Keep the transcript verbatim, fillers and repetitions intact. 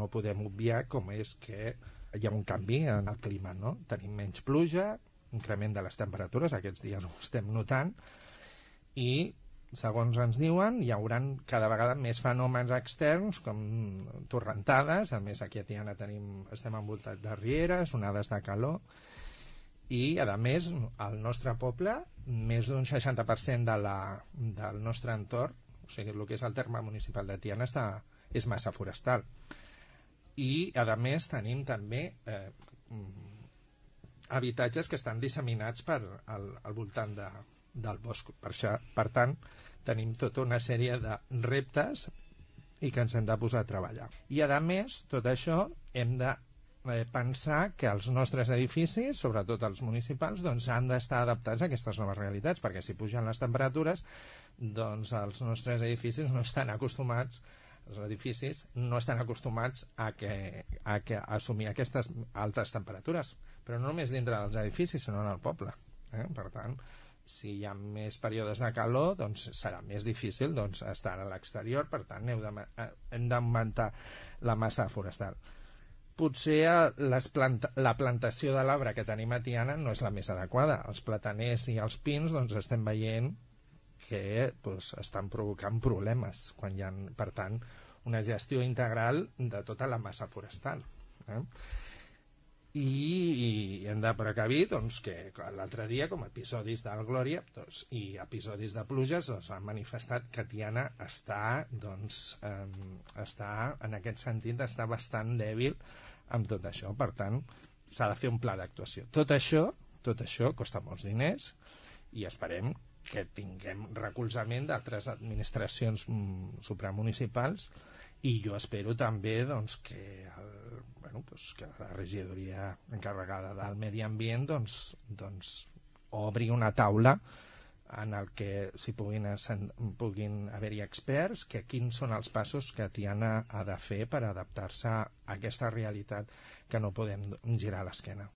no podem obviar com és que hi ha un canvi en el clima, no? Tenim menys pluja, increment de les temperatures, aquests dies ho estem notant, i segons ens diuen, hi haurà cada vegada més fenòmens externs com torrentades. A més, aquí a Tiana tenim, estem envoltats de rieres, onades de calor, i a més al nostre poble més d'un seixanta per cent de la, del nostre entorn, o sigui, el que és el terme municipal de Tiana està, és massa forestal, i a més tenim també eh, habitatges que estan disseminats per al, al voltant de, del bosc. Per, això, per tant, tenim tota una sèrie de reptes i que ens hem de posar a treballar. I a més, tot això hem de eh, pensar que els nostres edificis, sobretot els municipals, doncs, han d'estar adaptats a aquestes noves realitats, perquè si pugen les temperatures, doncs els nostres edificis no estan acostumats els edificis no estan acostumats a, que, a, que, a assumir aquestes altes temperatures, però no només dintre dels edificis, sinó en el poble. Eh? Per tant, si hi ha més períodes de calor, doncs serà més difícil doncs, estar a l'exterior, per tant heu de, hem d'augmentar la massa forestal. Potser les planta, la plantació de l'arbre que tenim a Tiana no és la més adequada. Els plataners i els pins doncs, estem veient que doncs, estan provocant problemes quan hi ha, per tant, una gestió integral de tota la massa forestal. Eh? I, i hem de precavir doncs, que l'altre dia, com a episodis del Glòria doncs, i episodis de pluges, doncs, han manifestat que Tiana està, doncs, eh, està, en aquest sentit, està bastant dèbil amb tot això. Per tant, s'ha de fer un pla d'actuació. Tot això, tot això costa molts diners i esperem que tinguem recolzament d'altres administracions supramunicipals, i jo espero també doncs, que, el, bueno, doncs, que la regidoria encarregada del medi ambient doncs, doncs, obri una taula en el que s'hi puguin, puguin haver-hi experts, que quins són els passos que Tiana ha de fer per adaptar-se a aquesta realitat que no podem girar l'esquena.